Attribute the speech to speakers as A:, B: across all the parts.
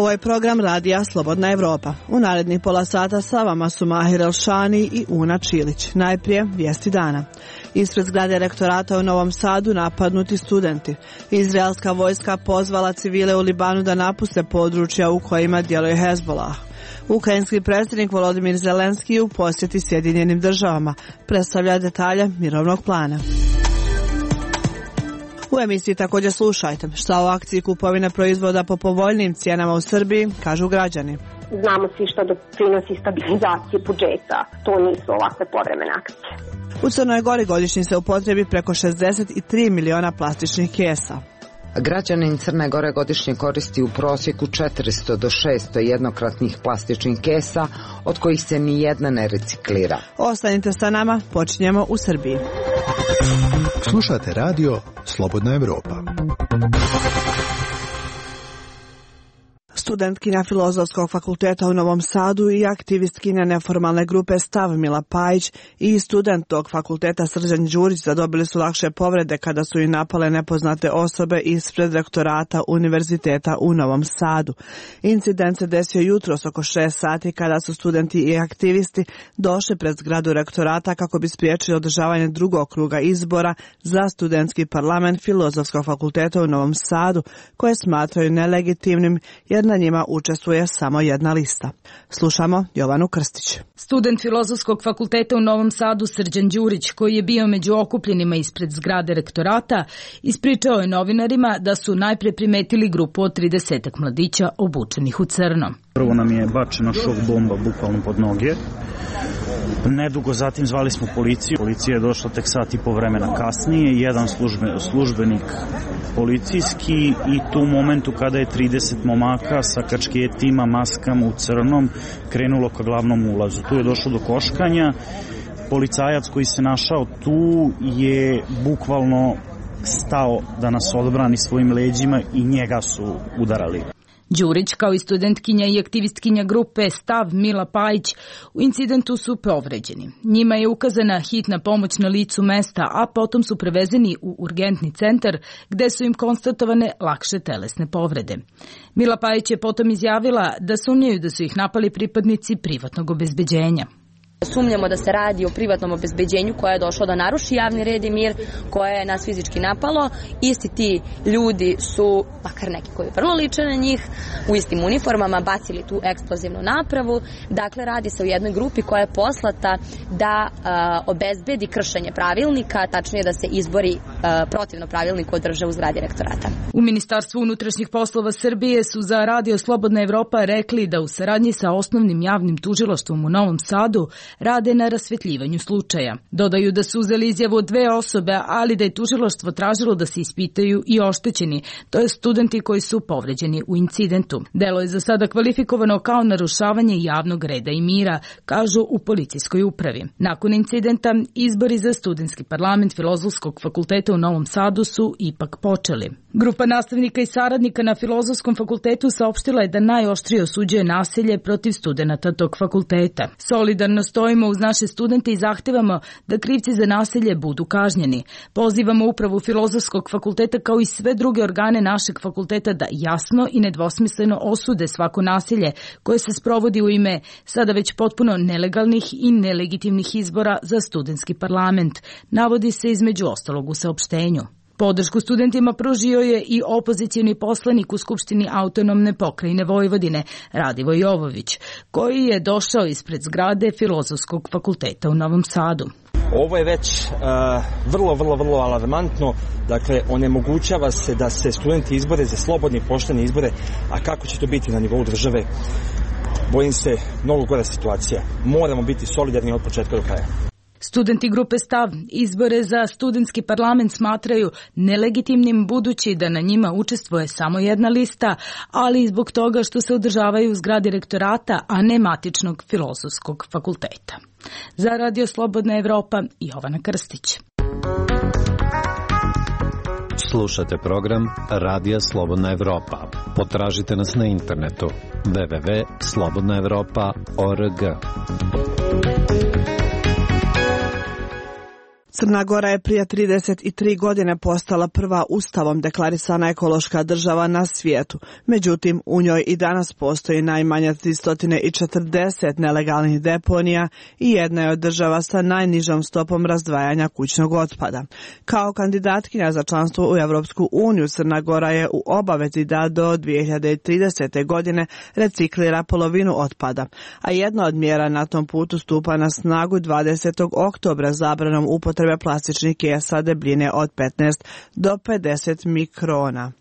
A: Ovo je program radija Slobodna Evropa. U narednih pola sata sa vama su Mahir Elšani i Una Čilić. Najprije vijesti dana. Ispred zgrade rektorata u Novom Sadu napadnuti studenti. Izraelska vojska pozvala civile u Libanu da napuste područja u kojima djeluje Hezbollah. Ukrajinski predsjednik Volodimir Zelenski u posjeti Sjedinjenim državama predstavlja detalje mirovnog plana. U emisiji također slušajte šta o akciji kupovine proizvoda po povoljnim cijenama u Srbiji kažu građani.
B: Znamo svi što doprinosi stabilizaciji budžeta, to nisu ovakve povremene akcije.
A: U Crnoj Gori godišnji se upotrebi preko 63 miliona plastičnih kesa.
C: Građanin Crne Gore godišnje koristi u prosjeku 400 do 600 jednokratnih plastičnih kesa, od kojih se ni jedna ne reciklira.
A: Ostanite sa nama, počinjemo u Srbiji.
D: Slušate radio Slobodna Evropa.
A: Studentkinja Filozofskog fakulteta u Novom Sadu i aktivistkinja neformalne grupe Stav Mila Pajić i student tog fakulteta Srđan Đurić zadobili su lakše povrede kada su ih napale nepoznate osobe ispred rektorata Univerziteta u Novom Sadu. Incident se desio jutros oko 6 sati kada su studenti i aktivisti došli pred zgradu rektorata kako bi spriječili održavanje drugog kruga izbora za studentski parlament Filozofskog fakulteta u Novom Sadu, koje smatraju nelegitimnim jer na njima učestvuje samo jedna lista. Slušamo Jovanu Krstić.
E: Student Filozofskog fakulteta u Novom Sadu Srđan Đurić, koji je bio među okupljenima ispred zgrade rektorata, ispričao je novinarima da su najpre primetili grupu od 30 mladića obučenih u crno.
F: Prvo nam je bačena šok bomba bukvalno pod noge. Nedugo zatim zvali smo policiju. Policija je došla tek sat i po vremena kasnije. Jedan službenik policijski i tu momentu kada je 30 momaka sa kačketima, maskama u crnom krenulo ka glavnom ulazu. Tu je došlo do koškanja. Policajac koji se našao tu je bukvalno stao da nas odbrani svojim leđima i njega su udarali.
E: Đurić, kao i studentkinja i aktivistkinja grupe Stav Mila Pajić, u incidentu su povređeni. Njima je ukazana hitna pomoć na licu mesta, a potom su prevezeni u urgentni centar gde su im konstatovane lakše telesne povrede. Mila Pajić je potom izjavila da sumnjaju da su ih napali pripadnici privatnog obezbeđenja.
G: Sumnjamo da se radi o privatnom obezbeđenju koje je došlo da naruši javni red i mir, koje je nas fizički napalo. Isti ti ljudi su, makar neki koji vrlo liče na njih, u istim uniformama bacili tu eksplozivnu napravu. Dakle, radi se o jednoj grupi koja je poslata da obezbedi kršenje pravilnika, tačnije da se izbori protivno pravilniku održe u zgradi rektorata.
E: U Ministarstvu unutrašnjih poslova Srbije su za Radio Slobodna Evropa rekli da u saradnji sa osnovnim javnim tužilaštvom u Novom Sadu rade na rasvetljivanju slučaja. Dodaju da su uzeli izjavu od 2 osobe, ali da je tužilaštvo tražilo da se ispitaju i oštećeni, to je studenti koji su povređeni u incidentu. Delo je za sada kvalifikovano kao narušavanje javnog reda i mira, kažu u policijskoj upravi. Nakon incidenta, izbori za studentski parlament Filozofskog fakulteta u Novom Sadu su ipak počeli. Grupa nastavnika i saradnika na Filozofskom fakultetu saopštila je da najoštrije osuđuje nasilje protiv studenata tog fakulteta. Solidarno stojimo uz naše studente i zahtevamo da krivci za nasilje budu kažnjeni. Pozivamo upravu Filozofskog fakulteta kao i sve druge organe našeg fakulteta da jasno i nedvosmisleno osude svako nasilje koje se sprovodi u ime sada već potpuno nelegalnih i nelegitimnih izbora za studentski parlament, navodi se između ostalog u saopštenju. Podršku studentima pružio je i opozicioni poslanik u Skupštini autonomne pokrajine Vojvodine, Radivoj Jovović, koji je došao ispred zgrade Filozofskog fakulteta u Novom Sadu.
H: Ovo je već vrlo alarmantno, dakle onemogućava se da se studenti izbore za slobodne i poštene izbore, a kako će to biti na nivou države, bojim se mnogo gora situacija. Moramo biti solidarni od početka do kraja.
E: Studenti grupe Stav izbore za studentski parlament smatraju nelegitimnim budući da na njima učestvuje samo jedna lista, ali i zbog toga što se održavaju u zgradi rektorata, a ne matičnog Filozofskog fakulteta. Za Radio Slobodna Evropa, Jovana Krstić.
I: Slušate program Radija Slobodna Evropa. Potražite nas na internetu www.slobodnaevropa.org.
A: Crna Gora je prije 33 godine postala prva ustavom deklarisana ekološka država na svijetu. Međutim, u njoj i danas postoji najmanje 340 nelegalnih deponija i jedna je od država sa najnižom stopom razdvajanja kućnog otpada. Kao kandidatkinja za članstvo u Europsku uniju, Crna Gora je u obavezi da do 2030. godine reciklira polovinu otpada, a jedna od mjera na tom putu stupa na snagu 20. oktobra zabranom upotrebe plastičnih kesa debljine od 15 do 50 mikrona.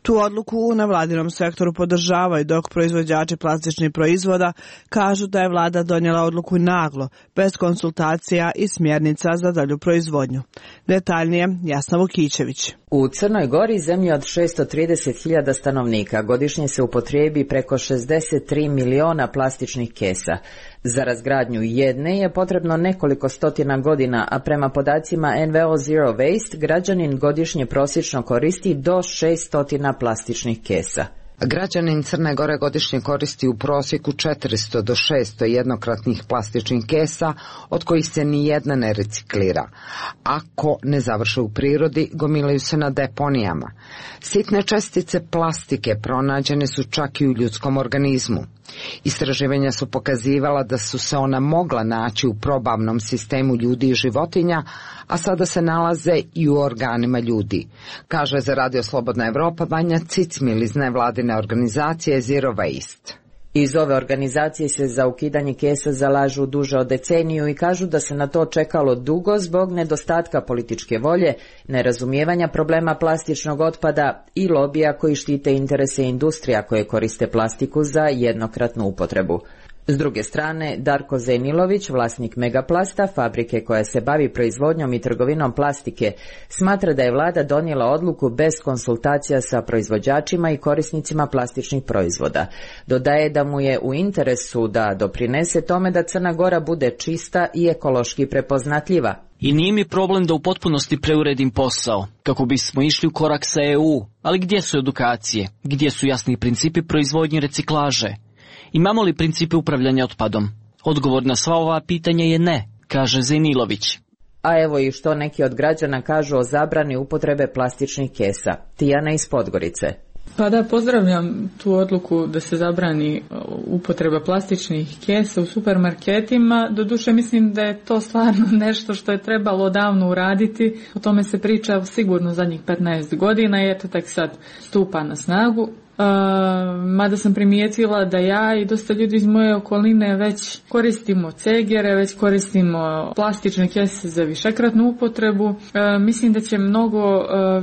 A: Tu odluku u nevladinom sektoru podržavaju, dok proizvođači plastičnih proizvoda kažu da je vlada donijela odluku naglo, bez konsultacija i smjernica za dalju proizvodnju. Detaljnije, Jasna Vukićević.
J: U Crnoj Gori, zemlji od 630.000 stanovnika, godišnje se upotrijebi preko 63 miliona plastičnih kesa. Za razgradnju jedne je potrebno nekoliko stotina godina, a prema podacima NVO Zero Waste, građanin godišnje prosječno koristi do 600 plastičnih kesa.
C: Građanin Crne Gore godišnje koristi u prosjeku 400 do 600 jednokratnih plastičnih kesa, od kojih se ni jedna ne reciklira. Ako ne završe u prirodi, gomilaju se na deponijama. Sitne čestice plastike pronađene su čak i u ljudskom organizmu. Istraživanja su pokazivala da su se ona mogla naći u probavnom sistemu ljudi i životinja, a sada se nalaze i u organima ljudi, kaže za Radio Slobodna Evropa Vanja Cicmil iz nevladine organizacije Zero Waste.
J: Iz ove organizacije se za ukidanje kesa zalažu duže od deceniju i kažu da se na to čekalo dugo zbog nedostatka političke volje, nerazumijevanja problema plastičnog otpada i lobija koji štite interese industrija koje koriste plastiku za jednokratnu upotrebu. S druge strane, Darko Zenilović, vlasnik Megaplasta, fabrike koja se bavi proizvodnjom i trgovinom plastike, smatra da je vlada donijela odluku bez konsultacija sa proizvođačima i korisnicima plastičnih proizvoda. Dodaje da mu je u interesu da doprinese tome da Crna Gora bude čista i ekološki prepoznatljiva.
K: I nije mi problem da u potpunosti preuredim posao, kako bismo išli u korak sa EU, ali gdje su edukacije, gdje su jasni principi proizvodnje i reciklaže? Imamo li principe upravljanja otpadom? Odgovor na sva ova pitanja je ne, kaže Zenilović.
J: A evo i što neki od građana kažu o zabrani upotrebe plastičnih kesa. Tijana iz Podgorice.
L: Pa da, pozdravljam tu odluku da se zabrani upotreba plastičnih kesa u supermarketima. Doduše mislim da je to stvarno nešto što je trebalo davno uraditi. O tome se priča sigurno zadnjih 15 godina i eto tek sad stupa na snagu. Mada sam primijetila da ja i dosta ljudi iz moje okoline već koristimo cegere, već koristimo plastične kese za višekratnu upotrebu. Mislim da će mnogo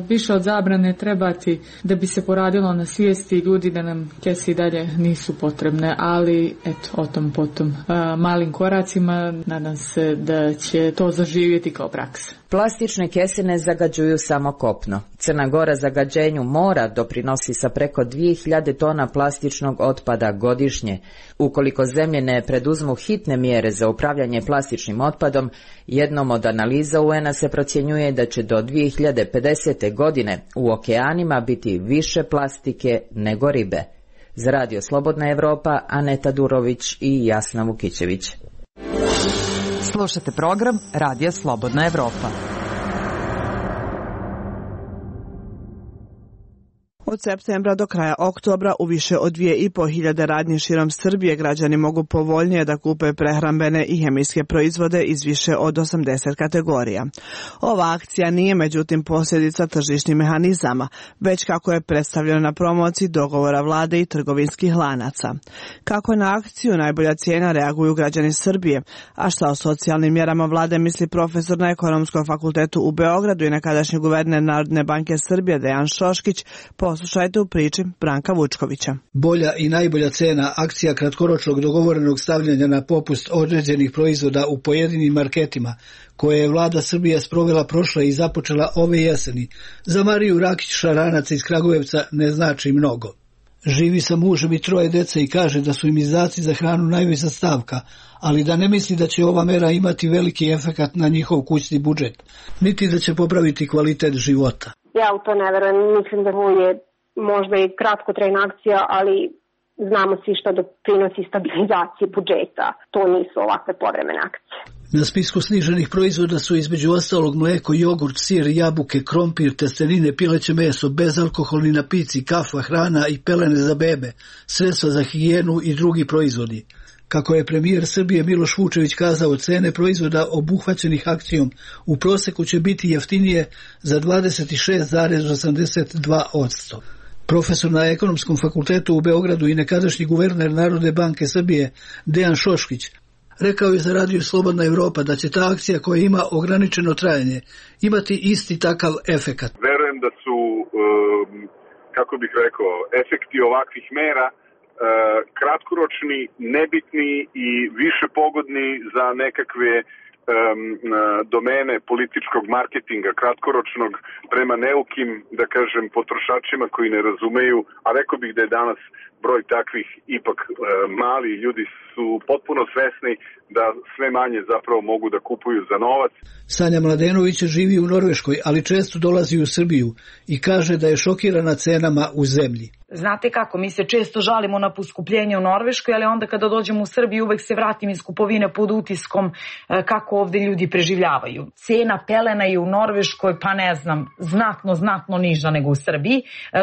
L: više od zabrane trebati da bi se poradilo na svijesti ljudi da nam kese i dalje nisu potrebne, ali eto, o tom potom malim koracima nadam se da će to zaživjeti kao praksa.
J: Plastične kese ne zagađuju samo kopno. Crna Gora zagađenju mora doprinosi sa preko 2000 tona plastičnog otpada godišnje. Ukoliko zemlje ne preduzmu hitne mjere za upravljanje plastičnim otpadom, jednom od analiza UN-a se procjenjuje da će do 2050. godine u okeanima biti više plastike nego ribe. Za Radio Slobodna Evropa, Aneta Durović i Jasna Vukićević.
M: Slušate program Radija Slobodna Evropa.
A: Od septembra do kraja oktobra u više od 2.500 radnji širom Srbije građani mogu povoljnije da kupe prehrambene i hemijske proizvode iz više od 80 kategorija. Ova akcija nije međutim posljedica tržišnih mehanizama, već kako je predstavljeno na promociji dogovora vlade i trgovinskih lanaca. Kako na akciju najbolja cijena reaguju građani Srbije, a šta o socijalnim mjerama vlade misli profesor na Ekonomskom fakultetu u Beogradu i nekadašnji guverner Narodne banke Srbije Dejan Šoškić, poslušajte u priči Branka Vučkovića.
N: Bolja i najbolja cena, akcija kratkoročnog dogovorenog stavljanja na popust određenih proizvoda u pojedinim marketima, koje je vlada Srbije sprovela prošle i započela ove jeseni, za Mariju Rakić Šaranac iz Kragujevca ne znači mnogo. Živi sa mužem i 3 dece i kaže da su im izdaci za hranu najveća stavka, ali da ne misli da će ova mera imati veliki efekat na njihov kućni budžet, niti da će popraviti kvalitet života.
B: Ja u to ne verujem, mislim da ovo je možda i kratkotrajna akcija, ali znamo svi što doprinosi stabilizaciji budžeta. To nisu ovakve povremene akcije.
N: Na spisku sniženih proizvoda su između ostalog mlijeko, jogurt, sir, jabuke, krompir, testenine, pileće meso, bezalkoholni napici, kafa, hrana i pelene za bebe, sredstva za higijenu i drugi proizvodi. Kako je premijer Srbije Miloš Vučević kazao, cene proizvoda obuhvaćenih akcijom u proseku će biti jeftinije za 26,82%. Profesor na Ekonomskom fakultetu u Beogradu i nekadašnji guverner Narodne banke Srbije Dejan Šoškić rekao je za Radio Slobodna Evropa da će ta akcija koja ima ograničeno trajanje imati isti takav efekat.
O: Verujem da su, kako bih rekao, efekti ovakvih mera kratkoročni, nebitni i više pogodni za nekakve domene političkog marketinga, kratkoročnog prema neukim, da kažem, potrošačima koji ne razumeju, a rekao bih da je danas broj takvih ipak mali, ljudi su potpuno svesni da sve manje zapravo mogu da kupuju za novac.
N: Sanja Mladenović živi u Norveškoj, ali često dolazi u Srbiju i kaže da je šokirana cenama u zemlji.
P: Znate kako, mi se često žalimo na poskupljenje u Norveškoj, ali onda kada dođemo u Srbiju uvek se vratim iz kupovine pod utiskom kako ovde ljudi preživljavaju. Cena pelena je u Norveškoj, pa ne znam, znatno niža nego u Srbiji.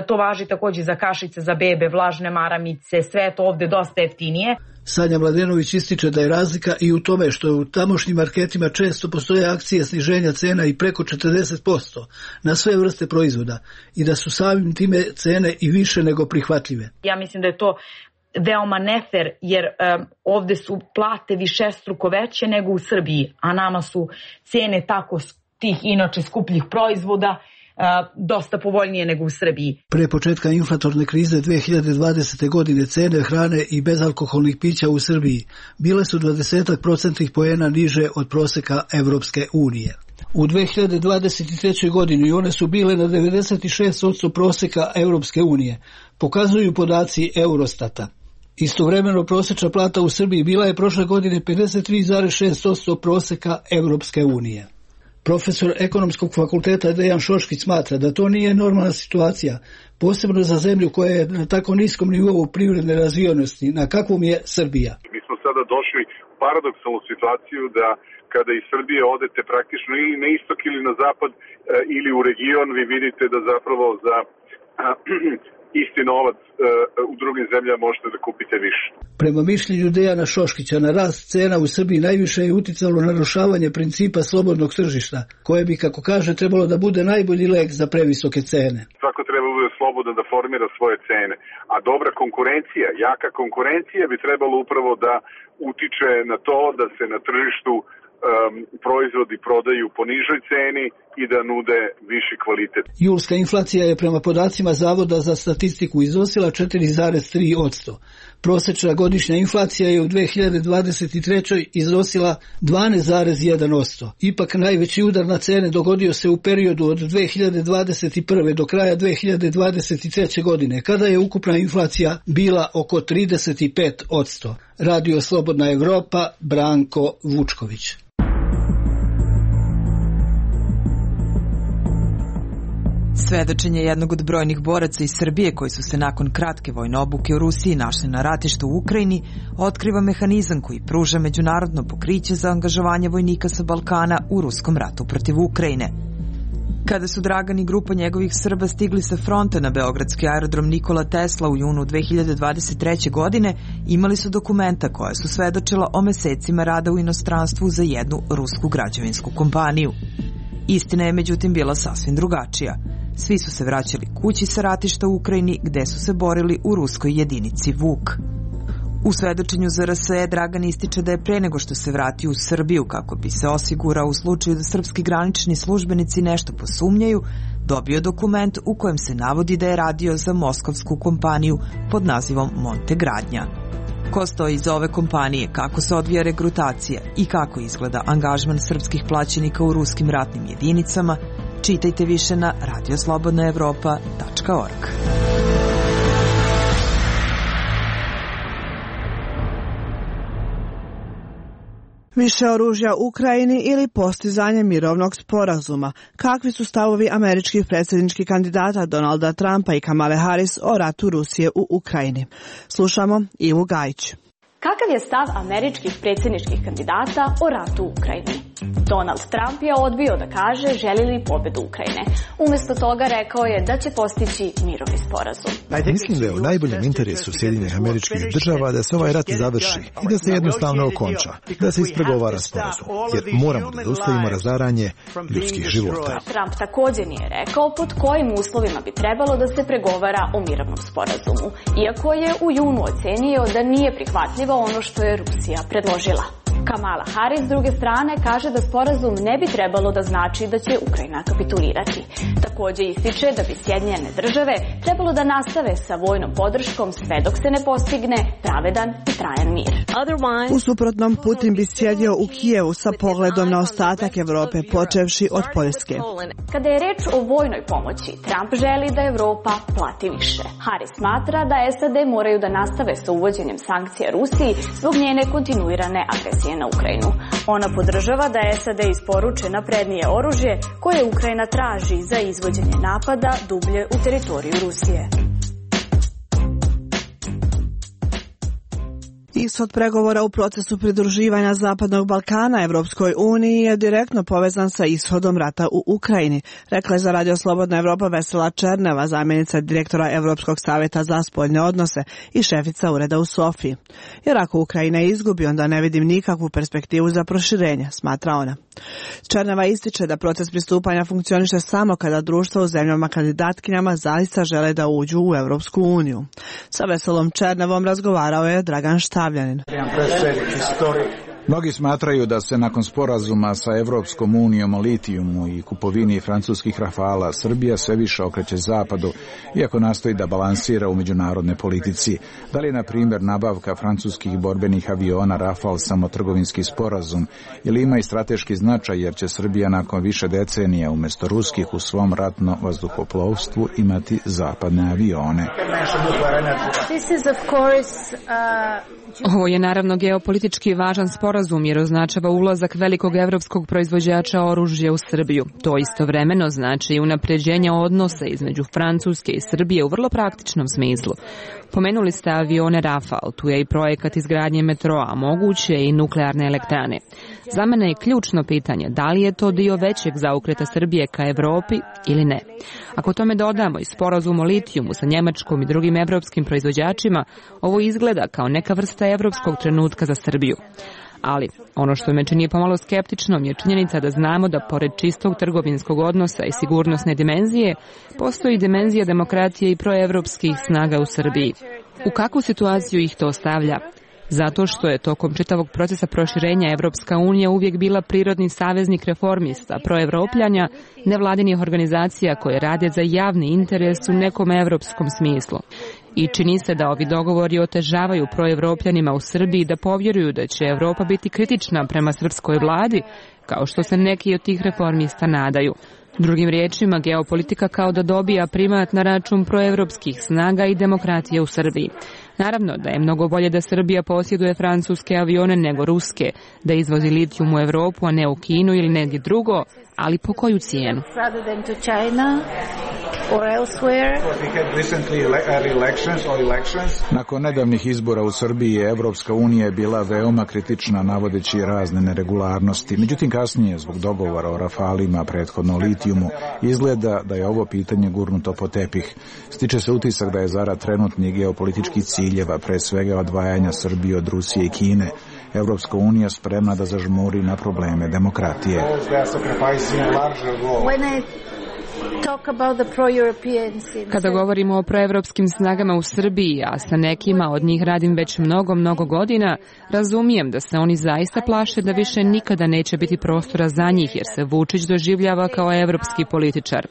P: To važi također za kašice za bebe, vlažne maramice, sve to ovde dosta jeftinije.
N: Sanja Mladenović ističe da je razlika i u tome što u tamošnjim marketima često postoje akcije sniženja cena i preko 40% na sve vrste proizvoda i da su samim time cene i više nego prihvatljive.
P: Ja mislim da je to veoma nefer jer ovde su plate višestruko veće nego u Srbiji, a nama su cene tako tih inače skupljih proizvoda dosta povoljnije nego u Srbiji.
N: Pre početka inflatorne krize 2020. godine cene hrane i bezalkoholnih pića u Srbiji bile su 20% poena niže od proseka Evropske unije. U 2023. godini one su bile na 96% proseka Evropske unije, pokazuju podaci Eurostata. Istovremeno prosečna plata u Srbiji bila je prošle godine 53,6% proseka Evropske unije. Profesor Ekonomskog fakulteta Dejan Šoškić smatra da to nije normalna situacija, posebno za zemlju koja je na tako niskom nivou privredne razvijenosti, na kakvom je Srbija.
O: Mi smo sada došli u paradoksalnu situaciju da kada iz Srbije odete praktično ili na istok ili na zapad ili u region, vi vidite da zapravo za isti novac u drugim zemljama možete da kupite više.
N: Prema mišljenju Dejana Šoškića, na rast cena u Srbiji najviše je uticalo narušavanje principa slobodnog tržišta, koje bi, kako kaže, trebalo da bude najbolji lek za previsoke cene.
O: Svako treba bude slobodan da formira svoje cene, a dobra konkurencija, jaka konkurencija bi trebalo upravo da utiče na to da se na tržištu proizvodi prodaju po nižoj ceni i da nude viši kvalitet.
N: Julska inflacija je prema podacima Zavoda za statistiku iznosila 4,3%. Prosečna godišnja inflacija je u 2023. iznosila 12,1%. Ipak najveći udar na cene dogodio se u periodu od 2021. do kraja 2023. godine, kada je ukupna inflacija bila oko 35%. Radio Slobodna Evropa, Branko Vučković.
M: Svedočenje jednog od brojnih boraca iz Srbije koji su se nakon kratke vojne obuke u Rusiji našli na ratištu u Ukrajini otkriva mehanizam koji pruža međunarodno pokriće za angažovanje vojnika sa Balkana u ruskom ratu protiv Ukrajine. Kada su Dragan i grupa njegovih Srba stigli sa fronta na beogradski aerodrom Nikola Tesla u junu 2023. godine, imali su dokumenta koja su svedočila o mesecima rada u inostranstvu za jednu rusku građevinsku kompaniju. Istina je međutim bila sasvim drugačija. Svi su se vraćali kući sa ratišta u Ukrajini gde su se borili u ruskoj jedinici Vuk. U svedočenju za RSE Dragan ističe da je pre nego što se vratio u Srbiju kako bi se osigurao u slučaju da srpski granični službenici nešto posumnjaju, dobio dokument u kojem se navodi da je radio za moskovsku kompaniju pod nazivom Monte Gradnja. Ko stoji iza ove kompanije, kako se odvija regrutacija i kako izgleda angažman srpskih plaćenika u ruskim ratnim jedinicama, čitajte više na radioslobodnaevropa.org.
A: Više oružja Ukrajini ili postizanje mirovnog sporazuma. Kakvi su stavovi američkih predsjedničkih kandidata Donalda Trumpa i Kamale Harris o ratu Rusije u Ukrajini? Slušamo Ivu Gajić.
Q: Kakav je stav američkih predsjedničkih kandidata o ratu u Ukrajini? Donald Trump je odbio da kaže želi li pobedu Ukrajine. Umjesto toga rekao je da će postići mirovni sporazum.
D: Mislim da je u najboljem interesu Sjedinjenih Američkih Država da se ovaj rat završi i da se jednostavno okonča, da se ispregovara sporazum, jer moramo da zaustavimo razaranje ljudskih života.
Q: Trump također nije rekao pod kojim uslovima bi trebalo da se pregovara o mirovnom sporazumu, iako je u junu ocenio da nije prihvatljivo ono što je Rusija predložila. Kamala Harris s druge strane kaže da sporazum ne bi trebalo da znači da će Ukrajina kapitulirati. Također ističe da bi Sjedinjene Države trebalo da nastave sa vojnom podrškom sve dok se ne postigne pravedan i trajan mir.
A: U suprotnom, Putin bi sjedio u Kijevu sa pogledom na ostatak Evrope, počevši od Poljske.
Q: Kada je reč o vojnoj pomoći, Trump želi da Evropa plati više. Harris smatra da SAD moraju da nastave sa uvođenjem sankcija Rusiji zbog njene kontinuirane agresije na Ukrajinu. Ona podržava da SAD isporuče naprednije oružje koje Ukrajina traži za izvođenje napada dublje u teritoriju Rusije.
A: Ishod pregovora u procesu pridruživanja Zapadnog Balkana Evropskoj uniji je direktno povezan sa ishodom rata u Ukrajini, rekla je za Radio Slobodna Evropa Vesela Černeva, zamjenica direktora Evropskog savjeta za spoljne odnose i šefica ureda u Sofiji. Jer ako Ukrajina izgubi, onda ne vidim nikakvu perspektivu za proširenje, smatra ona. Černeva ističe da proces pristupanja funkcioniše samo kada društva u zemljama kandidatkinjama zaista žele da uđu u Evropsku uniju. Sa Veselom Černevom razgovarao je Dragan Štavljanin.
R: Mnogi smatraju da se nakon sporazuma sa Evropskom unijom o litijumu i kupovini francuskih Rafala Srbija sve više okreće zapadu, iako nastoji da balansira u međunarodnoj politici. Da li je, na primjer, nabavka francuskih borbenih aviona Rafal samo trgovinski sporazum ili ima i strateški značaj jer će Srbija nakon više decenija umjesto ruskih u svom ratno vazduhoplovstvu imati zapadne avione?
S: Ovo je naravno geopolitički važan sporazum jer označava ulazak velikog evropskog proizvođača oružja u Srbiju. To istovremeno znači i unapređenje odnosa između Francuske i Srbije u vrlo praktičnom smislu. Pomenuli ste avione Rafal, tu je i projekat izgradnje metroa, moguće i nuklearne elektrane. Za mene je ključno pitanje da li je to dio većeg zaokreta Srbije ka Evropi ili ne. Ako tome dodamo i sporazum o litijumu sa Njemačkom i drugim evropskim proizvođačima, ovo izgleda kao neka vrsta evropskog trenutka za Srbiju. Ali ono što me čini pomalo skeptičnom je činjenica da znamo da pored čistog trgovinskog odnosa i sigurnosne dimenzije, postoji dimenzija demokratije i proevropskih snaga u Srbiji. U kakvu situaciju ih to stavlja? Zato što je tokom čitavog procesa proširenja Evropska unija uvijek bila prirodni saveznik reformista, proevropljanja, nevladinih organizacija koje rade za javni interes u nekom evropskom smislu. I čini se da ovi dogovori otežavaju proevropljanima u Srbiji da povjeruju da će Evropa biti kritična prema srpskoj vladi, kao što se neki od tih reformista nadaju. Drugim riječima, geopolitika kao da dobija primat na račun proevropskih snaga i demokratije u Srbiji. Naravno da je mnogo bolje da Srbija posjeduje francuske avione nego ruske, da izvozi litijum u Evropu, a ne u Kinu ili negdje drugo, ali po koju cijenu?
R: Nakon nedavnih izbora u Srbiji Evropska unija je bila veoma kritična navodeći razne neregularnosti. Međutim, kasnije, zbog dogovora o Rafalima, prethodno litijumu, izgleda da je ovo pitanje gurnuto po tepih. Stiče se utisak da je zarad trenutnih geopolitičkih ciljeva, pre svega odvajanja Srbije od Rusije i Kine, Evropska unija spremna da zažmuri na probleme demokratije.
S: Kada govorimo o proevropskim snagama u Srbiji, a sa nekima od njih radim već mnogo godina, razumijem da se oni zaista plaše da više nikada neće biti prostora za njih jer se Vučić doživljava kao evropski političar.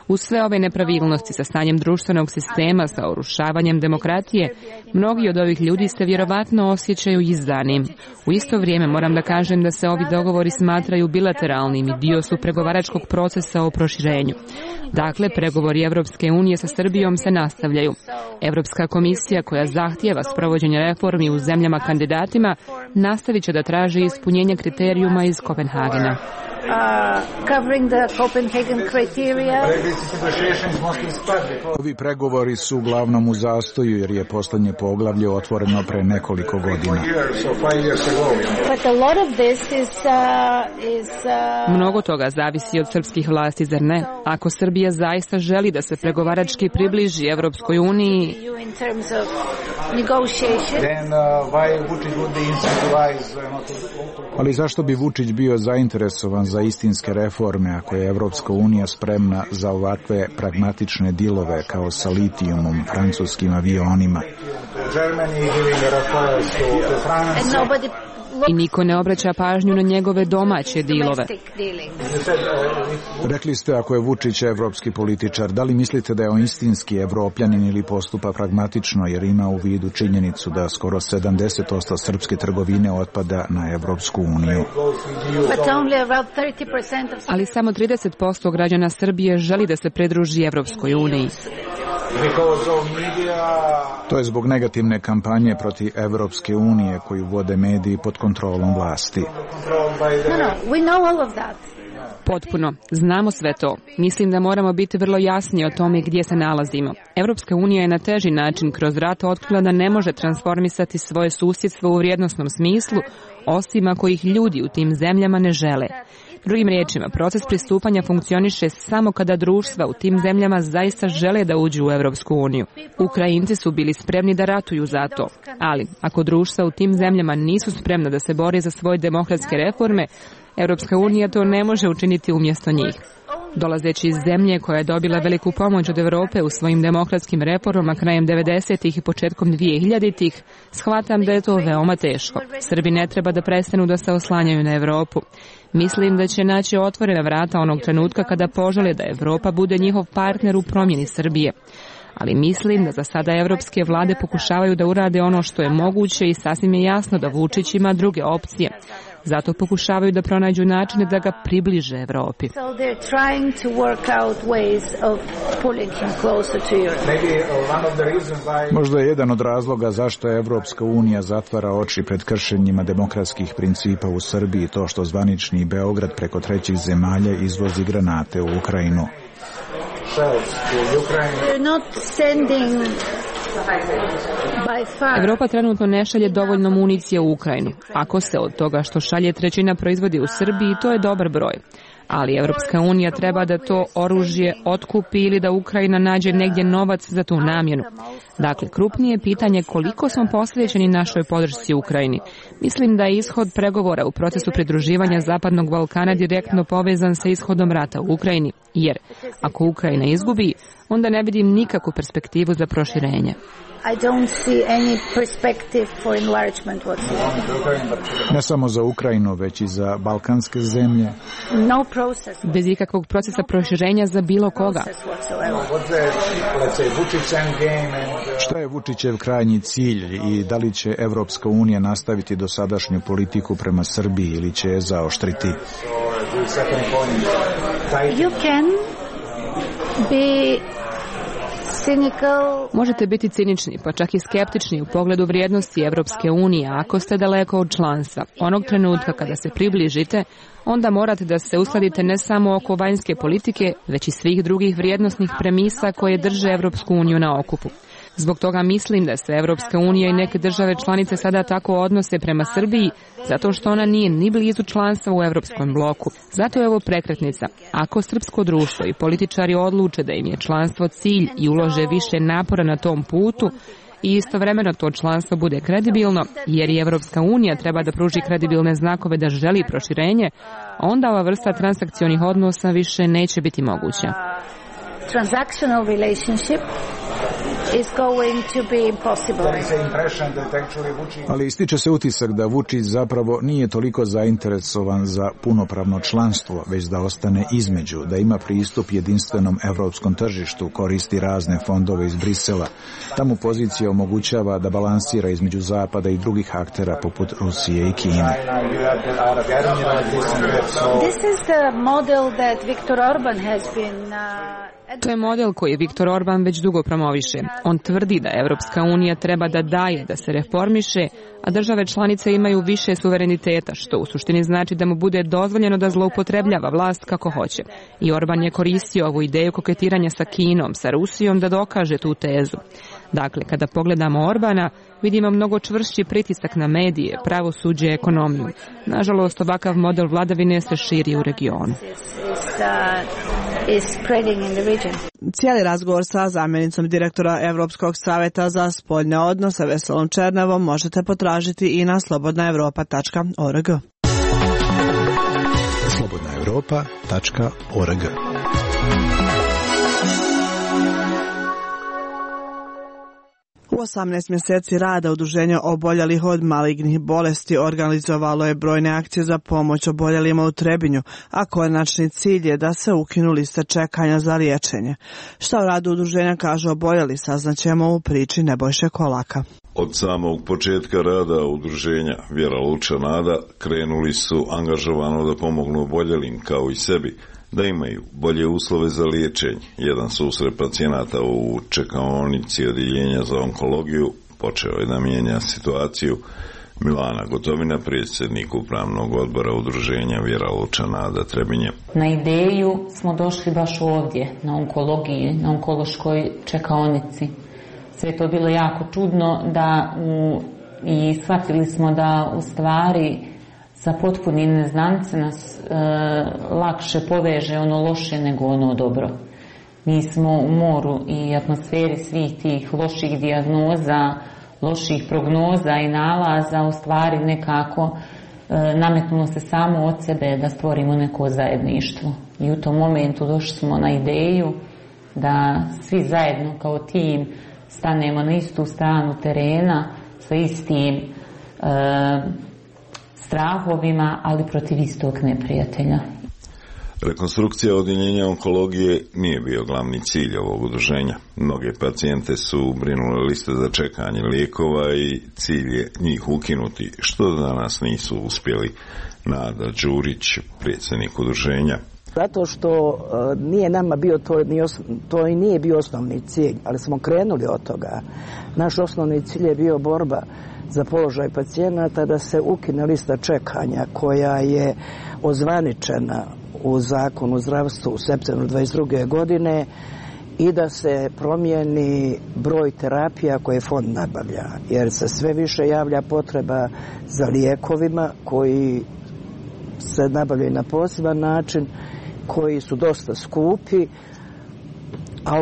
S: Uz sve ove nepravilnosti sa stanjem društvenog sistema, sa urušavanjem demokratije, mnogi od ovih ljudi se vjerovatno osjećaju izdanim. U isto vrijeme moram da kažem da se ovi dogovori smatraju bilateralnim i dio su pregovaračkog procesa o proširenju. Dakle, pregovori Evropske unije sa Srbijom se nastavljaju. Evropska komisija koja zahtijeva sprovođenje reformi u zemljama kandidatima nastavit će da traži ispunjenje kriterijuma iz Kopenhagena.
T: covering the Copenhagen criteria.
R: Ovi pregovori su uglavnom u zastoju jer je poslednje poglavlje otvoreno pre nekoliko godina.
T: But a lot of this is
S: Mnogo toga zavisi od srpskih vlasti, zar ne? Ako Srbija zaista želi da se pregovarački približi Evropskoj uniji,
R: ali zašto bi Vučić bio zainteresovan za istinske reforme ako je Evropska unija spremna za ovakve pragmatične dilove kao sa litijumom, francuskim avionima?
S: I niko ne obraća pažnju na njegove domaće dilove.
R: Rekli ste ako je Vučić evropski političar, da li mislite da je on istinski evropljanin ili postupa pragmatično jer ima u vidu činjenicu da skoro 70% srpske trgovine otpada na Evropsku uniju?
S: Ali samo 30% građana Srbije želi da se pridruži Evropskoj uniji.
R: To je zbog negativne kampanje protiv Evropske unije koju vode mediji pod kontrolom vlasti.
S: Potpuno. Znamo sve to. Mislim da moramo biti vrlo jasni o tome gdje se nalazimo. Evropska unija je na teži način kroz rat otkrila da ne može transformisati svoje susjedstvo u vrijednosnom smislu, osim ako ih ljudi u tim zemljama ne žele. Drugim riječima, proces pristupanja funkcioniše samo kada društva u tim zemljama zaista žele da uđu u Evropsku uniju. Ukrajinci su bili spremni da ratuju za to, ali ako društva u tim zemljama nisu spremna da se bore za svoje demokratske reforme, Evropska unija to ne može učiniti umjesto njih. Dolazeći iz zemlje koja je dobila veliku pomoć od Evrope u svojim demokratskim reformama krajem 90-ih i početkom 2000-ih, shvatam da je to veoma teško. Srbi ne treba da prestanu da se oslanjaju na Evropu. Mislim da će naći otvorena vrata onog trenutka kada požele da Evropa bude njihov partner u promjeni Srbije. Ali mislim da za sada evropske vlade pokušavaju da urade ono što je moguće i sasvim je jasno da Vučić ima druge opcije. Zato pokušavaju da pronađu načine da ga približe Evropi.
R: Možda je jedan od razloga zašto je Evropska unija zatvara oči pred kršenjima demokratskih principa u Srbiji to što zvanični Beograd preko trećih zemalja izvozi granate u Ukrajinu.
S: Evropa trenutno ne šalje dovoljno municije u Ukrajinu. Ako se od toga što šalje trećina proizvodi u Srbiji, to je dobar broj. Ali Evropska unija treba da to oružje otkupi ili da Ukrajina nađe negdje novac za tu namjenu. Dakle, krupnije pitanje koliko smo posvećeni našoj podršci Ukrajini. Mislim da je ishod pregovora u procesu pridruživanja Zapadnog Balkana direktno povezan sa ishodom rata u Ukrajini. Jer ako Ukrajina izgubi, onda ne vidim nikakvu perspektivu za proširenje.
T: I don't see any perspective for enlargement whatsoever.
R: Ne samo za Ukrajinu, već i za balkanske zemlje.
T: No process.
S: Bez ikakvog procesa proširenja za bilo koga.
R: Šta je Vučićev krajnji cilj i da li će Evropska unija nastaviti dosadašnju politiku prema Srbiji ili će je zaoštriti?
T: You can be cynical.
S: Možete biti cinični, pa čak i skeptični u pogledu vrijednosti Evropske unije ako ste daleko od članstva. Onog trenutka kada se približite, onda morate da se uskladite ne samo oko vanjske politike, već i svih drugih vrijednosnih premisa koje drže Evropsku uniju na okupu. Zbog toga mislim da se Evropska unija i neke države članice sada tako odnose prema Srbiji, zato što ona nije ni blizu članstva u Evropskom bloku. Zato je ovo prekretnica. Ako srpsko društvo i političari odluče da im je članstvo cilj i ulože više napora na tom putu, i istovremeno to članstvo bude kredibilno, jer i Evropska unija treba da pruži kredibilne znakove da želi proširenje, onda ova vrsta transakcionih odnosa više neće biti moguća.
T: Transactional relationship is going to be impossible.
R: Ali ističe se utisak da Vučić zapravo nije toliko zainteresovan za punopravno članstvo, već da ostane između, da ima pristup jedinstvenom evropskom tržištu, koristi razne fondove iz Brisela. Tamo pozicija omogućava da balansira između Zapada i drugih aktera poput Rusije i Kine.
T: This is the model that Viktor Orban has been
S: To je model koji Viktor Orban već dugo promoviše. On tvrdi da Evropska unija treba da daje, da se reformiše, a države članice imaju više suvereniteta, što u suštini znači da mu bude dozvoljeno da zloupotrebljava vlast kako hoće. I Orban je koristio ovu ideju koketiranja sa Kinom, sa Rusijom da dokaže tu tezu. Dakle, kada pogledamo Orbana, vidimo mnogo čvršći pritisak na medije, pravosuđe i ekonomiju. Nažalost, ovakav model vladavine se širi u regionu.
A: Cijeli razgovor sa zamjenicom direktora Evropskog saveta za spoljne odnose Veselom Černevom možete potražiti i na slobodnaevropa.org.
D: slobodnaevropa.org.
A: U 18 mjeseci rada Udruženja oboljelih od malignih bolesti organizovalo je brojne akcije za pomoć oboljelima u Trebinju, a konačni cilj je da se ukinu liste čekanja za liječenje. Šta o radu udruženja kažu oboljeli, saznaćemo u priči Nebojše Kolaka.
U: Od samog početka rada udruženja Vjera Luča Nada krenuli su angažovano da pomognu oboljelim kao i sebi, da imaju bolje uslove za liječenje. Jedan susret pacijenata u čekaonici odjeljenja za onkologiju počeo je da mijenja situaciju. Milana Gotovina, predsjednik upravnog odbora udruženja Vjera Luča Nada Trebinje.
V: Na ideju smo došli baš ovdje, na onkologiji, na onkološkoj čekaonici. Sve to bilo jako čudno i shvatili smo da u stvari sa potpunim neznance nas lakše poveže ono loše nego ono dobro. Mi smo u moru i atmosferi svih tih loših dijagnoza, loših prognoza i nalaza u stvari nekako nametnulo se samo od sebe da stvorimo neko zajedništvo. I u tom momentu došli smo na ideju da svi zajedno kao tim stanemo na istu stranu terena sa istim strahovima, ali protiv istog neprijatelja.
U: Rekonstrukcija odjeljenja onkologije nije bio glavni cilj ovog udruženja. Mnoge pacijente su brinule liste za čekanje lijekova i cilj je njih ukinuti, što danas nisu uspjeli. Nada Đurić, predsjednik udruženja.
W: Zato što nije nama bio to i nije bio osnovni cilj, ali smo krenuli od toga. Naš osnovni cilj je bio borba za položaj pacijenata, da se ukine lista čekanja koja je ozvaničena u zakonu o zdravstvu u septembru 22. godine i da se promijeni broj terapija koje fond nabavlja, jer se sve više javlja potreba za lijekovima koji se nabavljaju na poseban način, koji su dosta skupi, a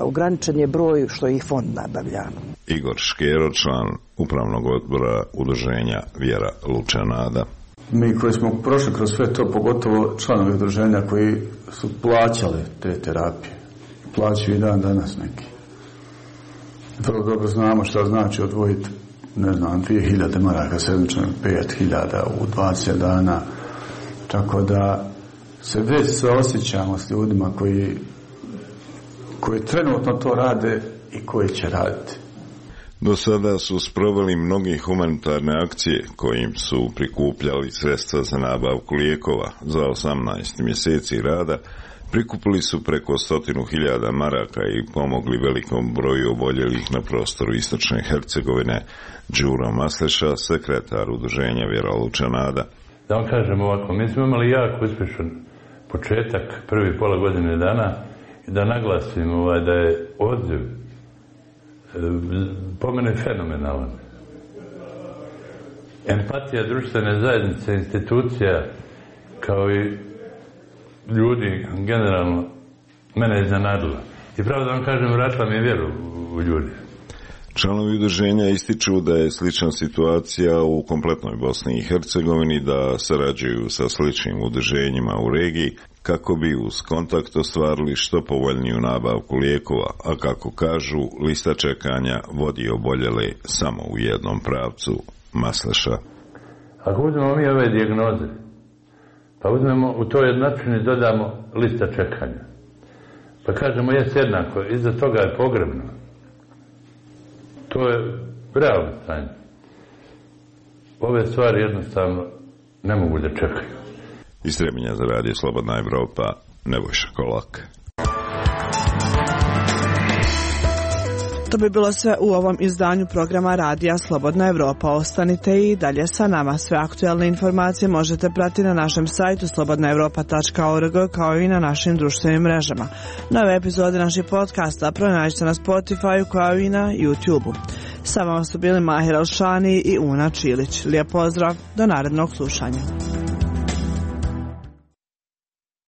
W: ograničen je broj što ih fond nabavlja.
U: Igor Škero, član upravnog odbora udruženja Vjera Luča Nada.
X: Mi koji smo prošli kroz sve to, pogotovo članovi udruženja koji su plaćali te terapije, plaćaju i dan danas neki. Vrlo dobro znamo šta znači odvojiti, 2000 maraka sedmično, 5000 u 20 dana, tako da se već osjećamo s ljudima koji trenutno to rade i koji će raditi.
U: Do sada su sproveli mnoge humanitarne akcije kojim su prikupljali sredstva za nabavku lijekova. Za 18 mjeseci rada prikupili su preko 100.000 maraka i pomogli velikom broju oboljelih na prostoru istočne Hercegovine. Đuro Masleša, sekretar udruženja Vjera Luča Nada.
Y: Da vam kažem ovako, mi smo imali jako uspješan početak, prvi pola godine dana, i da naglasim da je odziv po mene fenomenalan. Empatija društvene zajednice, institucija, kao i ljudi generalno, mene je iznenadila. I pravo da vam kažem, vratila mi je vjeru u ljudi.
U: Članovi udruženja ističu da je slična situacija u kompletnoj Bosni i Hercegovini, da sarađuju sa sličnim udruženjima u regiji kako bi uz kontakt ostvarili što povoljniju nabavku lijekova, a kako kažu, lista čekanja vodi oboljele samo u jednom pravcu. Masleša.
Y: Ako uzmemo mi ove dijagnoze, pa uzmemo u toj jednačini dodamo lista čekanja, pa kažemo jest jednako, iza toga je pogrebno. To je realno stanje. Ove stvari jednostavno ne mogu da čekaju.
U: Iz Trebinja za radio Slobodna Evropa, Nebojša Kolak.
A: To bi bilo sve u ovom izdanju programa Radija Slobodna Evropa. Ostanite i dalje sa nama. Sve aktualne informacije možete pratiti na našem sajtu slobodnaevropa.org kao i na našim društvenim mrežama. Nove epizode naših podcasta pronađite na Spotify kao i na YouTube-u. Sa vama su bili Mahir Alšani i Una Čilić. Lijep pozdrav, do narednog slušanja.